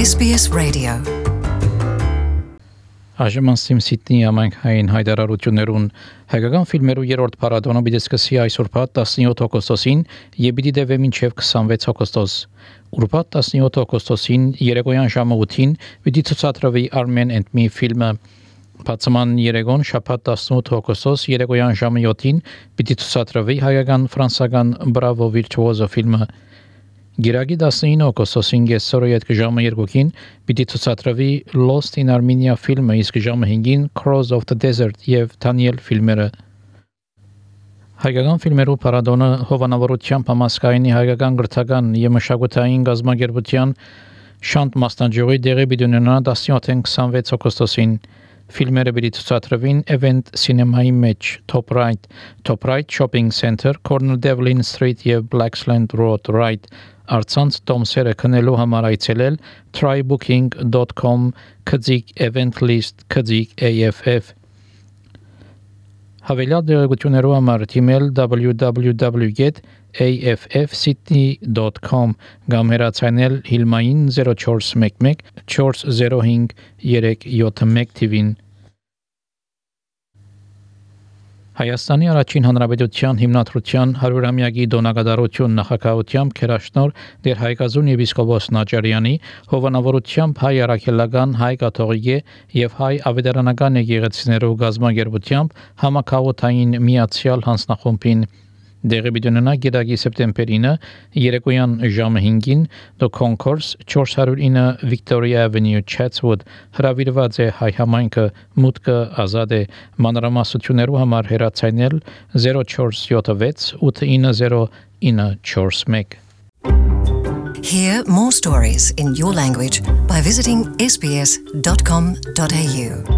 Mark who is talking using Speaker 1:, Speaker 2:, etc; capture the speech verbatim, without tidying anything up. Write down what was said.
Speaker 1: S B S Radio.
Speaker 2: Այժմ Սիդնեի համայնքային հայտարարություններուն հայկական ֆիլմերու երրորդ փառատոնը պիտի սկսի այսօրբաթ տասնյոթ օգոստոսին եւ պիտի տևի մինչեւ քսանվեց օգոստոս։ Ուրբաթ տասնյոթ օգոստոսին երեկոյան ժամը ութին պիտի ցուցադրվի Armen and Me ֆիլմը։ Բացման երեկոն շաբաթ տասնութ օգոստոս երեկոյան ժամը յոթին պիտի ցուցադրվի հայկական ֆրանսական Bravo Virtuoso ֆիլմը։ Գիրագի տասնինը օգոստոսին կեսօրը յետք ժամը երկուքին պիտի ցուցադրվի Lost in Armenia ֆիլմը, իսկ ժամը հինգին Crows of the Desert եւ Daniel ֆիլմերը։ Հայկական ֆիլմերու փառատոնը հովանավորությամբ համասկայնի հայկական գրթական եւ մշակութային գազագերբության շանտ մասնաճյուղի դեղի պիտի ունենա տասնյոթ քսանվեց օգոստոսին։ Ֆիլմերը պիտի ցուցադրվին Event Cinema-ի մեջ Top Right, Top Right Shopping Center, Corner Devlin Street եւ Blacksland Road Right Արցանց տոմսերը քնելու համար այցելել try booking dot com քծիկ event list քծիկ A F F Հավելյալ դերակցություններով համար թիմել w w w dot a f f sydney dot com կամ հեռացանել Հիլմային zero four one one four zero five three seven one թիվին Հայաստանի առաջին հանրապետության հիմնադրության հարյուրամյակի դոնակատարություն նախագահությամբ քերաշնոր դեր Հայկազուն եպիսկոպոս Նաճարյանի հովանավորությամբ հայ առաքելական հայ կաթողիկե եւ հայ ավետարանական եկեղեցիներով գազմագերբությամբ համակարգային միացյալ հանձնախումբին դեղի բիդոնանա գիրագի սեպտեմբերինը երեկոյան ժամը հինգին The Concourse four oh nine Victoria Avenue Chatswood հրավիրված է հայ համայնքը մուտքը ազատ է մանրամասնություններու համար հեռացանել zero four seven six eight nine zero nine four one
Speaker 1: Hear more stories in your language by visiting s b s dot com dot a u.